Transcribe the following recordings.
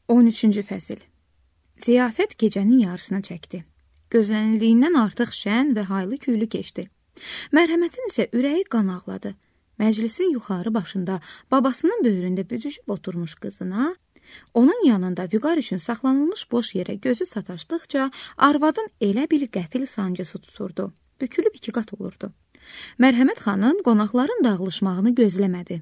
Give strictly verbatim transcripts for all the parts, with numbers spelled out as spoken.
on üçüncü fəsil. Ziyafət gecənin yarısına çəkdi. Gözlənildiyindən artıq şən və haylı küylü keçdi. Mərhəmətin isə ürəyi qan ağladı. Məclisin yuxarı başında babasının böyründə büzüşüb oturmuş qızına, onun yanında vüqar üçün saxlanılmış boş yerə gözü sataşdıqca arvadın elə bir qəfil sancısı tuturdu. Bükülüb iki qat olurdu. Mərhəmət xanım qonaqların dağılışmağını gözləmədi.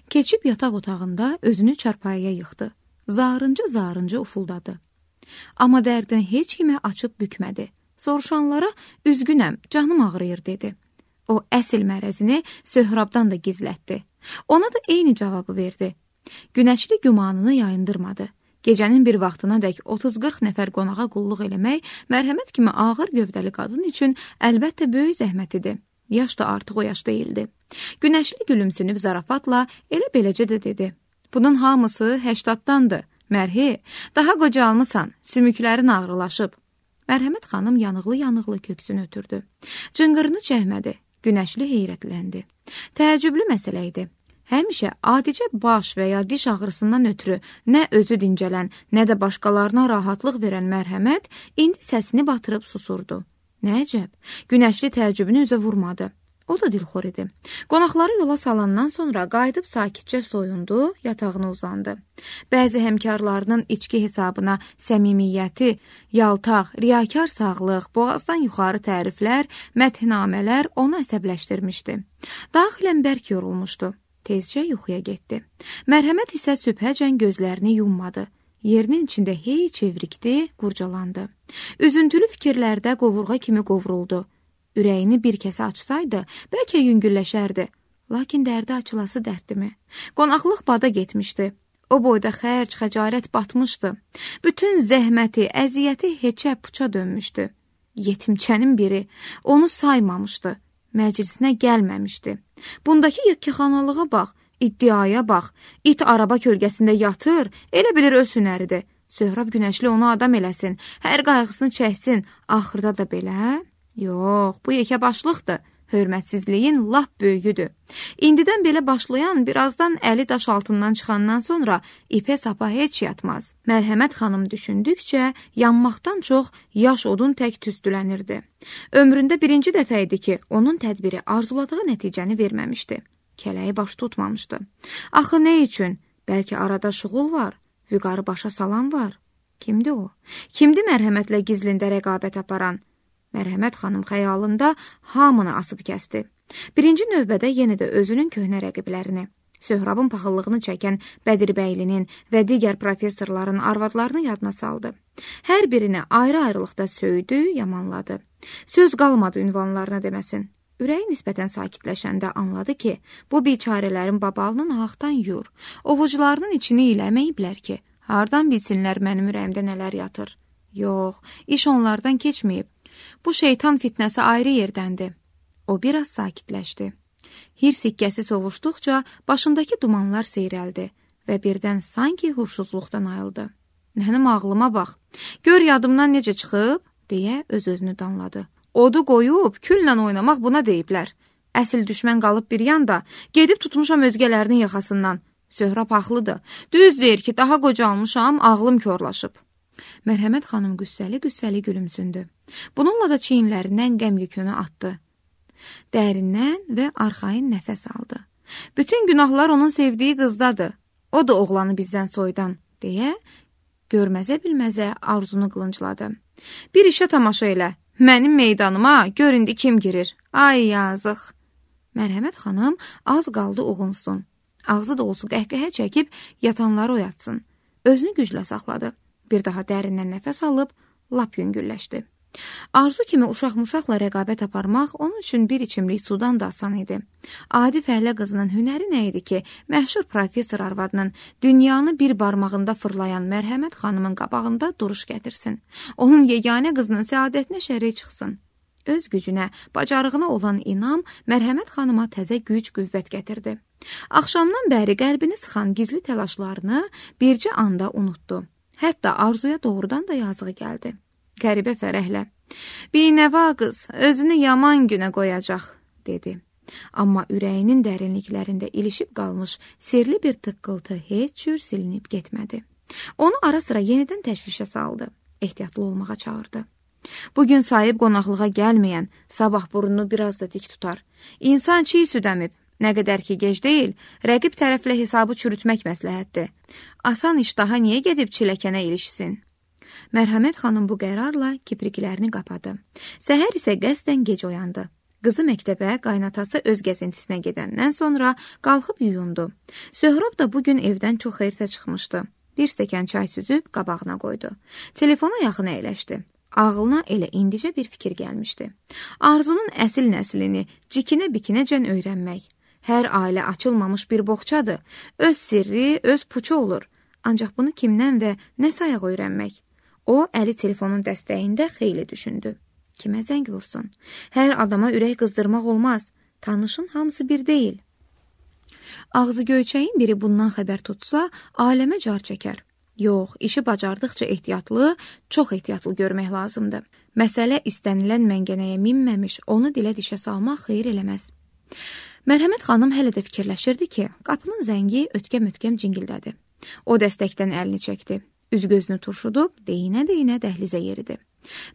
Keçib yataq otağında özünü çarpayıya yıxdı. Zarıncı-zarıncı ufuldadı. Amma dərdini heç kimə açıb bükmədi. Soruşanlara üzgünəm, canım ağrıyır dedi. O əsl mərəzini Söhrabdan da gizlətdi. Ona da eyni cavabı verdi. Günəşli gümanını yayındırmadı. Gecənin bir vaxtına dək otuz qırx nəfər qonağa qulluq eləmək mərhəmət kimi ağır gövdəli qadın üçün əlbəttə böyük zəhmət idi. Yaş da artıq o yaş deyildi. Günəşli gülümsünüb zarafatla elə beləcə də dedi. Bunun hamısı həştaddandır. Mərhi, daha qocalmısan, sümüklərin ağrılaşıb. Mərhəmət xanım yanıqlı-yanıqlı köksünü ötürdü. Cınqırını çəkmədi. Günəşli heyrətləndi. Təəccüblü məsələ idi. Həmişə adicə baş və ya diş ağrısından ötürü nə özü dincələn, nə də başqalarına rahatlıq verən mərhəmət indi səsini batırıb susurdu. Nə əcəb, Günəşli təəccübünü üzə vurmadı. O da dilxor idi. Qonaqları yola salandan sonra qayıdıb sakitcə soyundu, yatağına uzandı. Bəzi həmkarlarının içki hesabına səmimiyyəti, yaltaq, riyakar sağlıq, boğazdan yuxarı təriflər, məthnamələr onu əsəbləşdirmişdi. Daxilən bərk yorulmuşdu. Tezcə yuxuya getdi. Mərhəmət isə sübhəcən gözlərini yummadı. Yerinin içində hey çevrikdi, qurcalandı. Üzüntülü fikirlərdə qovurğa kimi qovruldu. Ürəyini bir kəsə açsaydı, bəlkə yüngülləşərdi. Lakin dərdi açılası dərdimi? Qonaqlıq bada getmişdi. O boyda xərc, xəcarət batmışdı. Bütün zəhməti, əziyyəti heçə puça dönmüşdü. Yetimçənin biri onu saymamışdı. Məclisinə gəlməmişdi. Bundakı yekəxanalığa bax, iddiaya bax. İt araba kölgəsində yatır, elə bilir öz hünəridir. Söhrab Günəşli onu adam eləsin, hər qayğısını çəksin. Axırda da belə... Yox, bu yekə başlıqdır. Hörmətsizliyin lap böyüyüdür. İndidən belə başlayan, birazdan əli daş altından çıxandan sonra ipə sapa heç yatmaz. Mərhəmət xanım düşündükcə yanmaqdan çox yaş odun tək tüstülənirdi. Ömründə birinci dəfə idi ki, onun tədbiri arzuladığı nəticəni verməmişdi. Kələyi baş tutmamışdı. Axı nə üçün? Bəlkə arada şuğul var, vüqarı başa salan var. Kimdir o? Kimdir mərhəmətlə gizlində rəqabət aparan? Mərhəmət xanım xəyalında hamını asıb kəsdi. Birinci növbədə yenə də özünün köhnə rəqiblərini, Söhrabın paxıllığını çəkən Bədirbəylinin və digər professorların arvadlarını yadına saldı. Hər birini ayrı-ayrılıqda söydü, yamanladı. Söz qalmadı ünvanlarına deməsin. Ürəyi nisbətən sakitləşəndə anladı ki, bu biçarələrin babalının ahaqdan yur, ovucularının içini iləməyiblər ki, hardan bilsinlər mənim ürəyimdə nələr yatır. Yox, iş onlardan keçməyib. Bu şeytan fitnəsi ayrı yerdəndir. O biraz sakitləşdi. Hir sikkəsi sovuşduqca başındakı dumanlar seyrəldi və birdən sanki huşsuzluqdan ayıldı. Mənim ağlıma bax, gör yadımdan necə çıxıb, deyə öz-özünü danladı. Odu qoyub, külla oynamaq buna deyiblər. Əsl düşmən qalıb bir yanda, gedib tutmuşam özgələrinin yaxasından. Söhrab haqlıdır. Düz deyir ki, daha qocalmışam, ağlım korlaşıb. Mərhəmət xanım qüssəli-qüssəli gülümsündü. Bununla da çiyinlərindən qəm yükünü atdı. Dərindən və arxayın nəfəs aldı. Bütün günahlar onun sevdiyi qızdadır. O da oğlanı bizdən soydan, deyə görməzə-bilməzə arzunu qılıncladı. Bir işə tamaşa elə. Mənim meydanıma gör indi kim girir. Ay yazıq. Mərhəmət xanım az qaldı uğunsun. Ağzı da olsun qəhqəhə çəkib yatanları oyatsın. Özünü güclə saxladı. Bir daha dərindən nəfəs alıb, lap yüngülləşdi. Arzu kimi uşaq-muşaqla rəqabət aparmaq onun üçün bir içimlik sudan da asan idi. Adi fəhlə qızının hünəri nə idi ki, məşhur professor arvadının dünyanı bir barmağında fırlayan Mərhəmət xanımın qabağında duruş gətirsin. Onun yeganə qızının səadətinə şərik çıxsın. Öz gücünə, bacarığına olan inam Mərhəmət xanıma təzə güc, qüvvət gətirdi. Axşamdan bəri qəlbini sıxan gizli təlaşlarını bircə anda unutdu. Hətta Arzuya doğrudan da yazığı gəldi. Qəribə fərəhlə. Binəva qız, özünü yaman günə qoyacaq, dedi. Amma ürəyinin dərinliklərində ilişib qalmış sirli bir tıqqıltı heç cür silinib getmədi. Onu ara sıra yenidən təşvişə saldı. Ehtiyatlı olmağa çağırdı. Bugün sahib qonaqlığa gəlməyən, sabah burnunu biraz da dik tutar. İnsan çiğ süd əmib. Nə qədər ki gec deyil, rəqib tərəflə hesabı çürütmək məsləhətdir. Asan iştaha niyə gedib çiləkənə ilişsin? Mərhəmət xanım bu qərarla kipriklərini qapadı. Səhər isə qəsdən gec oyandı. Qızı məktəbə, qaynatası öz gəzintisinə gedəndən sonra qalxıb yuyundu. Söhrab da bugün evdən çox xeyirtə çıxmışdı. Bir stəkan çay süzüb qabağına qoydu. Telefona yaxın əyləşdi. Ağlına elə indicə bir fikir gəlmişdi. Arzunun əsil nəslini cikinə-bikinəcən öyrənmək. Hər ailə açılmamış bir boğçadır. Öz sirri, öz puçu olur. Ancaq bunu kimdən və nə sayaq öyrənmək? O, əli telefonun dəstəyində xeyli düşündü. Kimə zəng vursun? Hər adama ürək qızdırmaq olmaz. Tanışın hamısı bir deyil. Ağzı göyçəyin biri bundan xəbər tutsa, aləmə car çəkər. Yox, işi bacardıqca ehtiyatlı, çox ehtiyatlı görmək lazımdır. Məsələ istənilən məngənəyə minməmiş, onu dilə dişə salmaq xeyir eləməz. Mərhəmət xanım hələ də fikirləşirdi ki, qapının zəngi ötkəm-ötkəm cingildədi. O dəstəkdən əlini çəkdi. Üz-gözünü turşudub, deyinə-deyinə dəhlizə yeridi.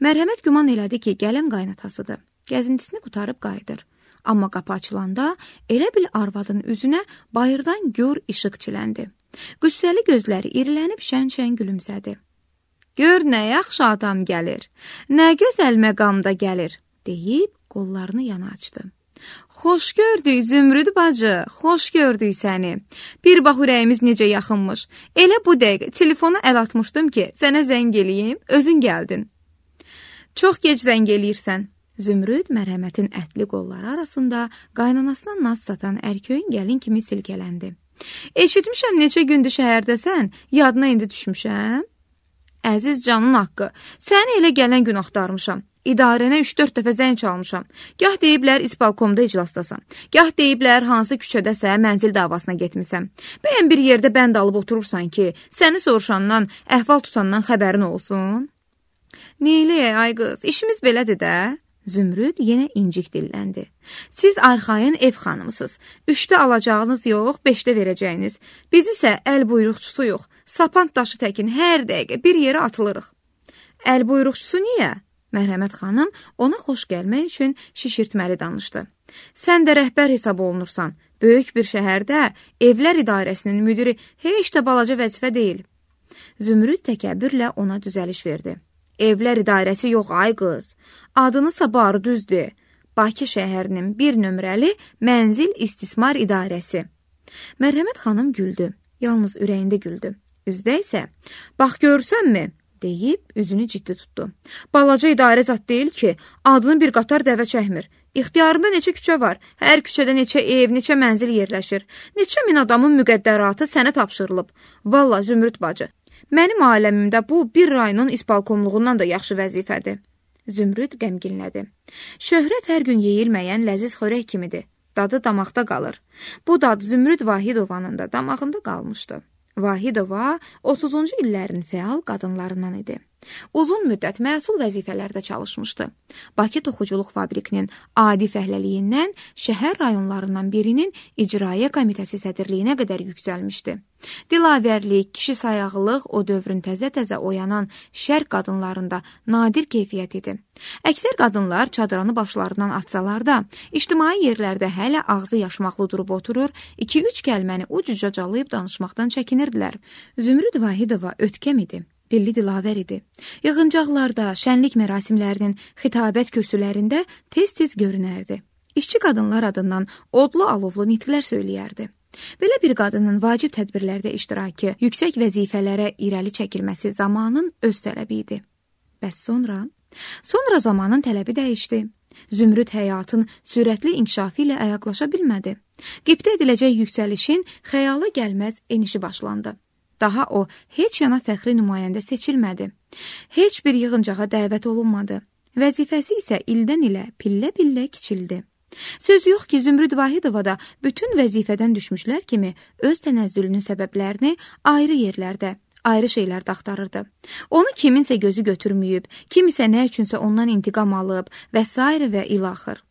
Mərhəmət güman elədi ki, gələn qaynatasıdır. Gəzintisini qutarıb qayıdır. Amma qapı açılanda elə bil arvadın üzünə bayırdan gör işıq çiləndi. Qüssəli gözləri irilənib şən-şən gülümsədi. Gör nə yaxşı adam gəlir, nə gözəl məqamda gəlir, deyib qollarını yana açdı. Xoş gördük Zümrüd bacı, xoş gördük səni. Bir bax ürəyimiz necə yaxınmış. Elə bu dəqiqə telefona əl atmışdım ki, sənə zəng eləyim, özün gəldin. Çox gec zəng eləyirsən. Zümrüd mərhəmətin ətli qolları arasında qaynanasına naz satan ərköyün gəlin kimi silkələndi. Eşitmişəm neçə gündür şəhərdəsən, yadına indi düşmüşəm. Əziz canın haqqı, səni elə gələn gün axtarmışam. İdarənə üç dörd dəfə zəng çalmışam. Gah deyiblər isbalkomda iclasdasan, gah deyiblər hansı küçədəsə mənzil davasına getmisən. Bəyən bir yerdə bənd alıb oturursan ki, səni soruşandan, əhval tutandan xəbərin olsun. Neyləyək ay qız, işimiz belədir də. Zümrüd yenə incik dilləndi. Siz arxayın ev xanımısınız. Üçdə alacağınız yox, beşdə verəcəyiniz. Biz isə əl buyruqçusu yox. Sapant daşı təkin hər dəqiqə bir yerə atılırıq. Əl buyruqçusu niyə? Mərhəmət xanım ona xoş gəlmək üçün şişirtməli danışdı. Sən də rəhbər hesab olunursan. Böyük bir şəhərdə evlər idarəsinin müdiri heç də balaca vəzifə deyil. Zümrüd təkəbbürlə ona düzəliş verdi. Evlər idarəsi yox ay qız. Adınısa barı düzdür. Bakı şəhərinin bir nömrəli mənzil istismar idarəsi. Mərhəmət xanım güldü. Yalnız ürəyində güldü. Üzdə isə, bax görsənmi? Deyib üzünü ciddi tutdu. Balaca idarə zat deyil ki, adını bir qatar dəvə çəkmir. İxtiyarında neçə küçə var, hər küçədə neçə ev, neçə mənzil yerləşir. Neçə min adamın müqəddəratı sənə tapşırılıb. Valla Zümrüd bacı, mənim aləmimdə bu bir rayonun isbalkomluğundan da yaxşı vəzifədir. Zümrüd qəmginlədi. Şöhrət hər gün yeyilməyən ləziz xörək kimidir. Dadı damaqda qalır. Bu dad Zümrüd Vahidovanın da damağında qalmışdı. Vahidova otuzuncu illərin fəal qadınlarından idi. Uzun müddət məsul vəzifələrdə çalışmışdı. Bakı Toxuculuq Fabrikinin adi fəhləliyindən şəhər rayonlarından birinin icraiyyə komitəsi sədrliyinə qədər yüksəlmişdi. Dilavərlik, kişi sayağılıq o dövrün təzə-təzə oyanan şərq qadınlarında nadir keyfiyyət idi. Əksər qadınlar çadranı başlarından atsalar da, ictimai yerlərdə hələ ağzı yaşmaqlı durub oturur, iki-üç kəlməni ucuca calayıb danışmaqdan çəkinirdilər. Zümrüd Vahidova ötkəm idi. Dilli dilavər idi. Yığıncaqlarda, şənlik mərasimlərinin xitabət kürsülərində tez-tez görünərdi. İşçi qadınlar adından odlu alovlu nitqlər söyləyərdi. Belə bir qadının vacib tədbirlərdə iştirakı, yüksək vəzifələrə irəli çəkilməsi zamanın öz tələbi idi. Bəs sonra? Sonra zamanın tələbi dəyişdi. Zümrüd həyatın sürətli inkişafı ilə ayaqlaşa bilmədi. Qibtə ediləcək yüksəlişin xəyala gəlməz enişi başlandı. Daha o, heç yana fəxri nümayəndə seçilmədi. Heç bir yığıncağa dəvət olunmadı. Vəzifəsi isə ildən ilə pillə-pillə kiçildi. Söz yox ki, Zümrüd Vahidova da bütün vəzifədən düşmüşlər kimi öz tənəzzülünün səbəblərini ayrı yerlərdə, ayrı şeylərdə axtarırdı. Onu kiminsə gözü götürməyib, kimisə nə üçünsə ondan intiqam alıb və s. və ilaxır.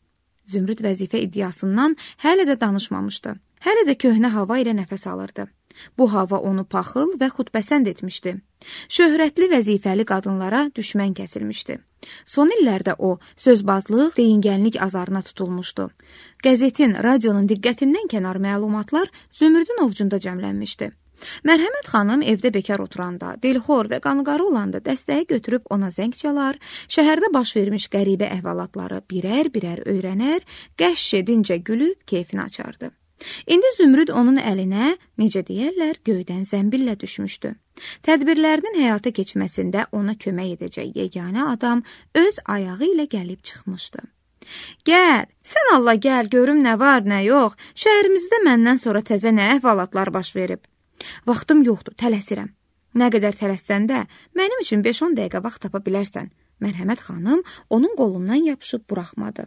Zümrüd vəzifə iddiasından hələ də danışmamışdı. Hələ də köhnə hava ilə nəfəs alırdı. Bu hava onu paxıl və xudbəsənd etmişdi. Şöhrətli vəzifəli qadınlara düşmən kəsilmişdi. Son illərdə o, sözbazlıq, deyingənlik azarına tutulmuşdu. Qəzetin, radionun diqqətindən kənar məlumatlar Zümrüdün ovcunda cəmlənmişdi. Mərhəmət xanım evdə bekar oturanda, dilxor və qanqarı olanda dəstəyi götürüb ona zəng çalar, şəhərdə baş vermiş qəribə əhvalatları birər-birər öyrənər, qəşş edincə gülüb keyfini açardı. İndi Zümrüd onun əlinə, necə deyərlər, göydən zəmbillə düşmüşdü. Tədbirlərinin həyata keçməsində ona kömək edəcək yeganə adam öz ayağı ilə gəlib çıxmışdı. Gəl, sən Allah gəl, görüm nə var, nə yox, şəhərimizdə məndən sonra təzə nə əhvalatlar baş verib. Vaxtım yoxdur, tələsirəm. Nə qədər tələssən də, mənim üçün beş-on dəqiqə vaxt tapa bilərsən. Mərhəmət xanım onun qolundan yapışıb buraxmadı.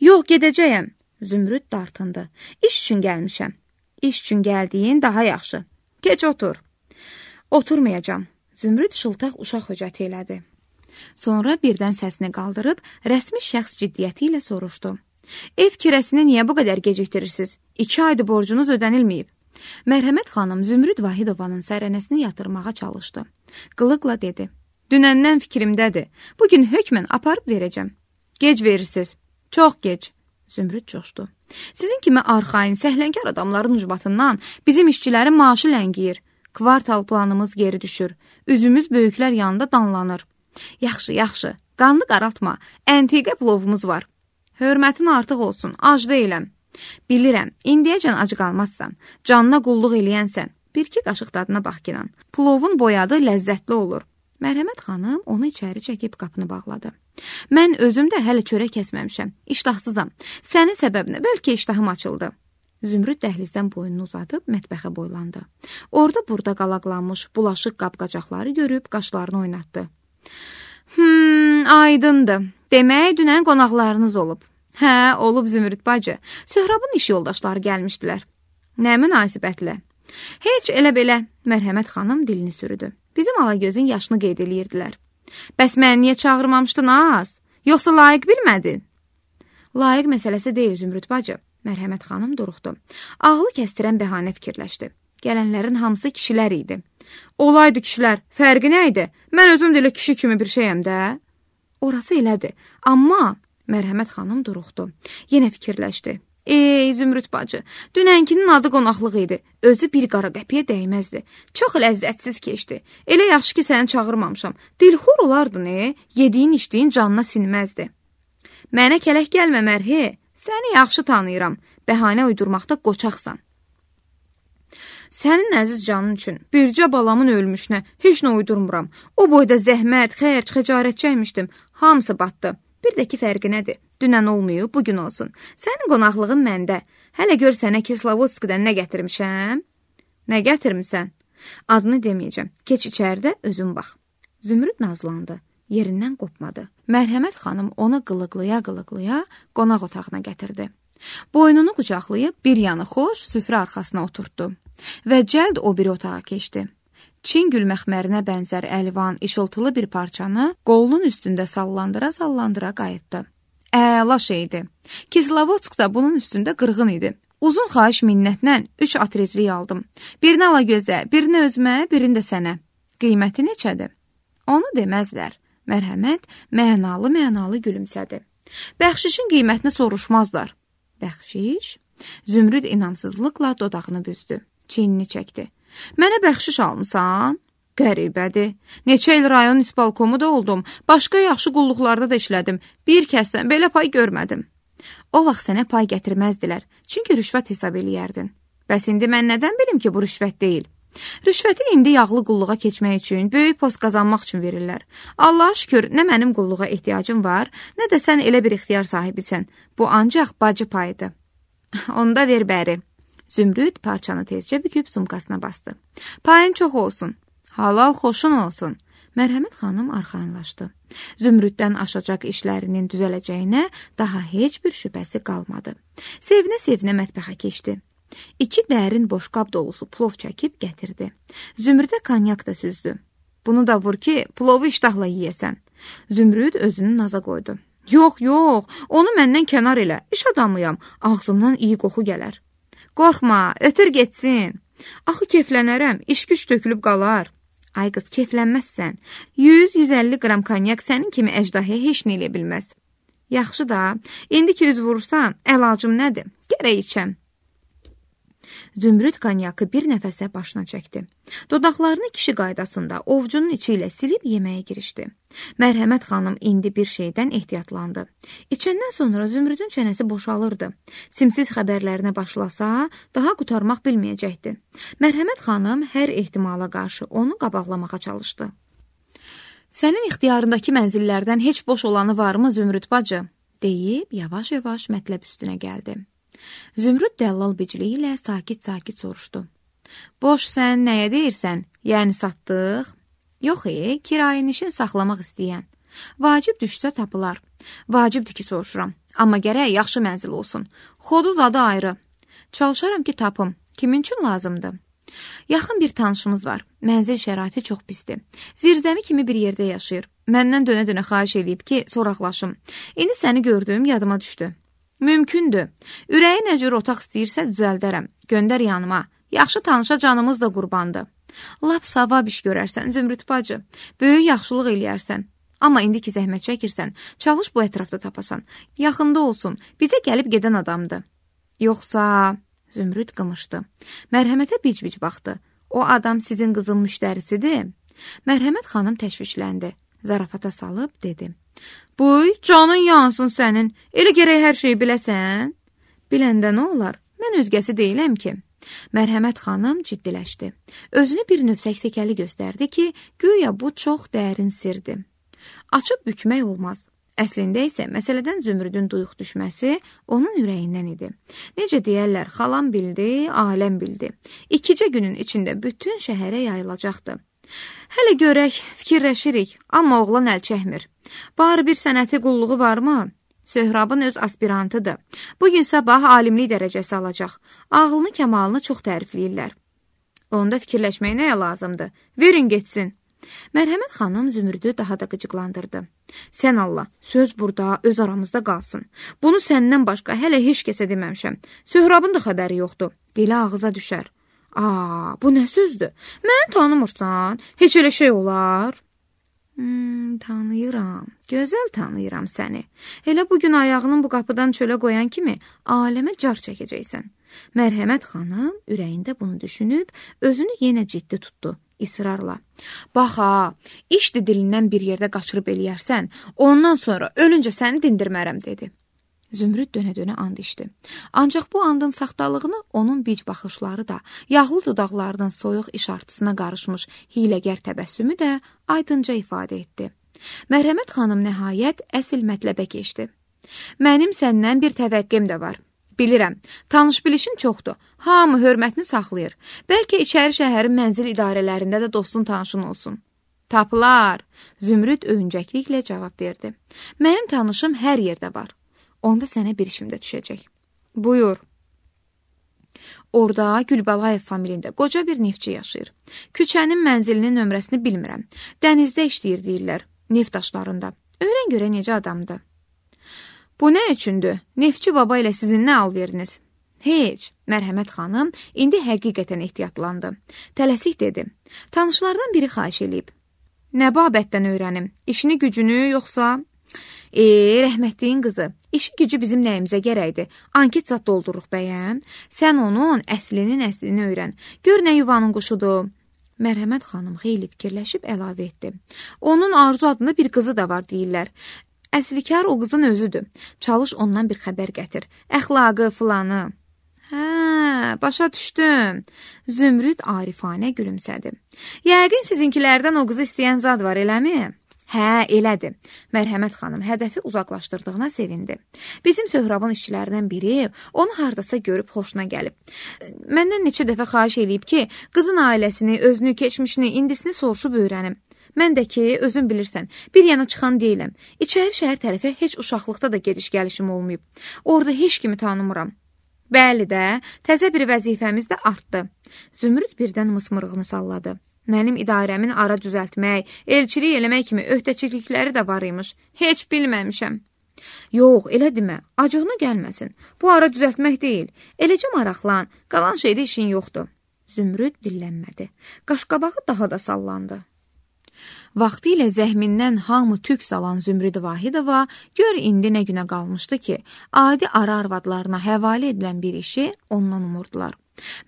Yox, gedəcəyəm. Zümrüd dartındı. İş üçün gəlmişəm. İş üçün gəldiyin daha yaxşı. Keç otur. Oturmayacam. Zümrüd şıltaq uşaq höcəti elədi. Sonra birdən səsini qaldırıb, rəsmi şəxs ciddiyyəti ilə soruşdu. Ev kirəsini niyə bu qədər gecikdirirsiniz? İki aydır borcunuz ödənilməyib. Mərhəmət xanım Zümrüd Vahidovanın sərənəsini yatırmağa çalışdı. Qılıqla dedi. Dünəndən fikrimdədir. Bugün hökmən aparıb verəcəm. Gec verirsiniz. Çox gec. Zümrüd coşdu. Sizin kimi arxain, səhlənkar adamların ucbatından bizim işçilərin maaşı ləngiyir. Kvartal planımız geri düşür. Üzümüz böyüklər yanında danlanır. Yaxşı, yaxşı. Qanlı qaraltma. Əntiqə plovumuz var. Hörmətin artıq olsun. Ac deyiləm. Bilirəm, indiyəcən acı qalmazsan, canına qulluq eləyənsən, bir-iki qaşıq dadına bax kinan. Plovun boyadı ləzzətli olur. Mərhəmət xanım onu içəri çəkib qapını bağladı. Mən özüm də hələ çörək kəsməmişəm, iştahsızam. Sənin səbəbinə bəlkə iştahım açıldı. Zümrüd dəhlizdən boynunu uzadıb mətbəxə boylandı. Orada burada qalaqlanmış bulaşıq qab-qacaqları görüb qaşlarını oynatdı. Hmm, aydındır. Demək, dünən qonaqlarınız olub. Hə, olub Zümrüd bacı. Söhrabın iş yoldaşları gəlmişdilər. Nə münasibətlə? Heç elə belə, Mərhəmət xanım dilini sürüdü. Bizim Alagözün yaşını qeyd eləyirdilər. Bəs məni niyə çağırmamışdın az? Yoxsa layiq bilmədin? Layiq məsələsi deyil Zümrüd bacı. Mərhəmət xanım duruxdu. Ağlı kəstirən bəhanə fikirləşdi. Gələnlərin hamısı kişilər idi. Olaydı kişilər, fərqi nə idi? Mən özüm də elə kişi kimi bir şeyəm də. Orası elədir, amma... Mərhəmət xanım duruxdu. Yenə fikirləşdi. Ey Zümrüd bacı, dünənkinin adı qonaqlıq idi. Özü bir qara qəpiyə dəyməzdi. Çox ləzzətsiz keçdi. Elə yaxşı ki, səni çağırmamışam. Dilxor olardı ne? Yediyin içdiyin canına sinməzdi. Mənə kələk gəlmə Mərhə. Səni yaxşı tanıyıram. Bəhanə uydurmaqda qoçaqsan. Sənin əziz canın üçün bircə balamın ölmüşünə heç nə uydurmuram. O boyda zəhmət, xərc, xəcarət çəkmişdim. Hamısı batdı. Bir də ki, fərqi nədir? Dünən olmayıb, bugün olsun. Sənin qonaqlığın məndə. Hələ gör sənə Kislovodskidən nə gətirmişəm? Nə gətirmisən? Adını deməyəcəm. Keç içəridə, özün bax. Zümrüd nazlandı. Yerindən qopmadı. Mərhəmət xanım onu qılıqlıya-qılıqlıya qonaq otağına gətirdi. Boynunu qucaqlayıb bir yanı xoş süfrə arxasına oturtdu. Və cəld o biri otağa keçdi. Çin gül məxmərinə bənzər əlvan, işıltılı bir parçanı qolunun üstündə sallandıra-sallandıra qayıtdı. Əla şeydi. Kislovodsk da bunun üstündə qırğın idi. Uzun xahiş minnətlə üç atrezlik aldım. Birini Alagözə, birini özümə, birini də sənə. Qiyməti neçədir? Onu deməzlər. Mərhəmət mənalı-mənalı gülümsədi. Bəxşişin qiymətini soruşmazlar. Bəxşiş? Zümrüd inamsızlıqla dodağını büzdü. Çiynini çəkdi. Mənə bəxşiş almısan? Qəribədir. Neçə il rayon isbalkomu da oldum. Başqa yaxşı qulluqlarda da işlədim. Bir kəsdən belə pay görmədim. O vaxt sənə pay gətirməzdilər. Çünki rüşvət hesab eləyərdin. Bəs indi mən nədən bilim ki, bu rüşvət deyil? Rüşvəti indi yağlı qulluğa keçmək üçün, böyük post qazanmaq üçün verirlər. Allaha şükür, nə mənim qulluğa ehtiyacım var, nə də sən elə bir ixtiyar sahibisən. Bu ancaq bacı payıdır. Onda ver bəri. Zümrüd parçanı tezcə büküb sumkasına bastı. Payın çox olsun. Halal xoşun olsun. Mərhəmət xanım arxayınlaşdı. Zümrüddən aşacaq işlərinin düzələcəyinə daha heç bir şübhəsi qalmadı. Sevinə-sevinə mətbəxə keçdi. İki dərin boşqab dolusu plov çəkib gətirdi. Zümrüdə konyak da süzdü. Bunu da vur ki, plovu iştahla yiyəsən. Zümrüd özünü naza qoydu. Yox, yox, onu məndən kənar elə. İş adamıyam. Ağzımdan iyi qoxu gələr. Qorxma, ötür getsin. Axı keflənərəm, iş güc tökülüb qalar. Ay qız, keflənməzsən. yüz yüz əlli qram konyak sənin kimi əjdahıya heç nə eləyə bilməz. Yaxşı da, indi ki üz vurursan, əlacım nədir? Gərək içəm. Zümrüd konyakı bir nəfəsə başına çəkdi. Dodaqlarını kişi qaydasında ovcunun içi ilə silib yeməyə girişdi. Mərhəmət xanım indi bir şeydən ehtiyatlandı. İçəndən sonra Zümrüdün çənəsi boşalırdı. Simsiz xəbərlərinə başlasa, daha qutarmaq bilməyəcəkdi. Mərhəmət xanım hər ehtimala qarşı onu qabaqlamağa çalışdı. Sənin ixtiyarındakı mənzillərdən heç boş olanı varmı Zümrüd bacı? Deyib, yavaş-yavaş mətləb üstünə gəldi. Zümrüd dəllal bicliyi ilə sakit-sakit soruşdu. Boş sən nəyə deyirsən? Yəni satdıq? Yox, e, kirayənişin saxlamaq istəyən. Vacib düşsə tapılar. Vacibdir ki, soruşuram. Amma gərək yaxşı mənzil olsun. Xoduz adı ayrı. Çalışaram ki, tapım. Kimin üçün lazımdır? Yaxın bir tanışımız var. Mənzil şəraiti çox pisdir. Zirzəmi kimi bir yerdə yaşayır. Məndən dönə-dönə xahiş eləyib ki, soraqlaşım. İndi səni gördüyüm yadıma düşdü. Mümkündür. Ürəyi nə cür otaq istəyirsə düzəldərəm. Göndər yanıma. Yaxşı tanışa canımız da qurbandır. Lap savab iş görərsən, Zümrüd bacı. Böyük yaxşılıq eləyərsən. Amma indi ki zəhmət çəkirsən, çalış bu ətrafda tapasan. Yaxında olsun, bizə gəlib gedən adamdır. Yoxsa... Zümrüd qımışdı. Mərhəmətə bic-bic baxdı. O adam sizin qızın müştərisidir. Mərhəmət xanım təşvişləndi. Zarafata salıb dedi. Buy, canın yansın sənin. Elə gərək hər şeyi biləsən. Biləndə nə olar? Mən özgəsi deyiləm ki. Mərhəmət xanım ciddiləşdi. Özünü bir növ səksəkəli göstərdi ki, güya bu çox dərin sirdir. Açıb bükmək olmaz. Əslində isə məsələdən Zümrüdün duyuq düşməsi onun ürəyindən idi. Necə deyərlər, xalam bildi, aləm bildi. İkicə günün içində bütün şəhərə yayılacaqdı. Hələ görək, fikirləşirik, amma oğlan əl çəkmir. Bari bir sənəti qulluğu varmı? Söhrabın öz aspirantıdır. Bugün sabah alimlik dərəcəsi alacaq. Ağlını, kəmalını çox tərifləyirlər. Onda fikirləşmək nəyə lazımdır? Verin getsin. Mərhəmət xanım Zümrüdü daha da qıcıqlandırdı. Sən Allah, söz burada, öz aramızda qalsın. Bunu səndən başqa hələ heç kəsə deməmişəm. Söhrabın da xəbəri yoxdur. Dili ağıza düşər. Aa, bu nə sözdür? Məni tanımırsan? Heç elə şey olar? Hmm, tanıyıram. Gözəl tanıyıram səni. Elə bugün ayağının bu qapıdan çölə qoyan kimi aləmə car çəkəcəksən. Mərhəmət xanım ürəyində bunu düşünüb, özünü yenə ciddi tutdu. İsrarla. Bax ha, işdi dilindən bir yerdə qaçırıb eləyərsən, ondan sonra ölüncə səni dindirmərəm, dedi. Zümrüd dönə-dönə and içdi. Ancaq bu andın saxtalığını onun bic baxışları da, yağlı dodaqlarının soyuq işartısına qarışmış hiləgər təbəssümü də aydınca ifadə etdi. Mərhəmət xanım nəhayət əsl mətləbə keçdi. Mənim səndən bir təvəqqim də var. Bilirəm, tanış-bilişin çoxdur. Hamı hörmətini saxlayır. Bəlkə içəri şəhərin mənzil idarələrində də dostun tanışın olsun. Tapılar, Zümrüd öyüncəkliklə cavab verdi. Mənim tanışım hər yerdə var. Onda sənə bir işim də düşəcək. Buyur. Orada Gülbalayev familiyində qoca bir neftçi yaşayır. Küçənin mənzilinin nömrəsini bilmirəm. Dənizdə işləyir deyirlər, neft daşlarında. Öyrən görə necə adamdır. Bu nə üçündür? Neftçi baba ilə sizin nə alveriniz? Heç, Mərhəmət xanım indi həqiqətən ehtiyatlandı. Tələsik dedi. Tanışlardan biri xahiş eləyib. Nə babətdən öyrənim? İşini gücünü yoxsa... E, rəhmətliyin qızı, işi gücü bizim nəyimizə gərəkdir. Anket zat dolduruq bəyəm. Sən onun əslinin əslini öyrən. Gör nə yuvanın quşudur. Mərhəmət xanım xeyli fikirləşib əlavə etdi. Onun Arzu adında bir qızı da var deyirlər. Əslikar o qızın özüdür. Çalış ondan bir xəbər gətir. Əxlaqı, filanı. Hə, başa düşdüm. Zümrüd arifanə gülümsədi. Yəqin sizinkilərdən o qızı istəyən zad var, eləmi? Hə, elədir. Mərhəmət xanım hədəfi uzaqlaşdırdığına sevindi. Bizim Söhrabın işçilərindən biri onu hardasa görüb xoşuna gəlib. Məndən neçə dəfə xahiş eləyib ki, qızın ailəsini, özünü, keçmişini, indisini soruşub öyrənim. Mən də ki, özün bilirsən, bir yana çıxan deyiləm. İçəri şəhər tərəfə heç uşaqlıqda da gediş-gəlişim olmayıb. Orada heç kimi tanımıram. Bəli də, təzə bir vəzifəmiz də artdı. Zümrüd birdən mısmırığını salladı. Mənim idarəmin ara düzəltmək, elçilik eləmək kimi öhdəçilikləri də var imiş. Heç bilməmişəm. Yox, elə demə, acığına gəlməsin. Bu ara düzəltmək deyil. Eləcə maraqlan, qalan şeydə işin yoxdur. Zümrüd dillənmədi. Qaşqabağı daha da sallandı. Vaxtilə zəhmindən hamı tük salan Zümrüd Vahidova gör indi nə günə qalmışdı ki, adi ara arvadlarına həvalə edilən bir işi ondan umurdular.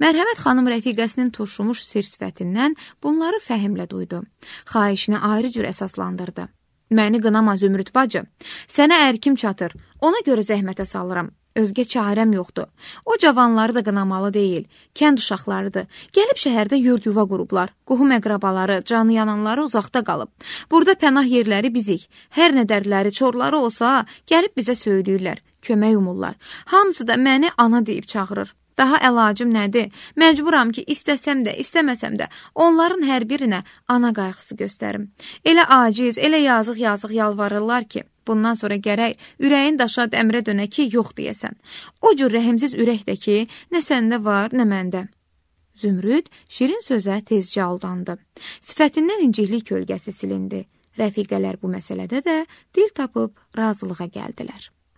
Mərhəmət xanım rəfiqəsinin turşumuş sir sifətindən bunları fəhmlə duydu. Xahişini ayrı cür əsaslandırdı. Məni qınama Zümrüd bacı, sənə ərkim çatır, ona görə zəhmətə salıram. Özgə çarəm yoxdur. O cavanları da qınamalı deyil, kənd uşaqlarıdır. Gəlib şəhərdə yurd yuva qurublar. Qohum əqrabaları, canı yananları uzaqda qalıb. Burada pənah yerləri bizik. Hər nə dərdləri, çorları olsa, gəlib bizə söyləyirlər, kömək umurlar. Hamısı da məni ana deyib çağırır. Daha əlacım nədir? Məcburam ki, istəsəm də, istəməsəm də, onların hər birinə ana qayğısı göstərim. Elə aciz, elə yazıq-yazıq yalvarırlar ki, bundan sonra gərək ürəyin daşa dəmrə dönə ki, yox deyəsən. O cür rəhimsiz ürəkdə ki, nə səndə var, nə məndə. Zümrüd şirin sözə tezcə aldandı. Sifətindən inciklik kölgəsi silindi. Rəfiqələr bu məsələdə də dil tapıb razılığa gəldilər.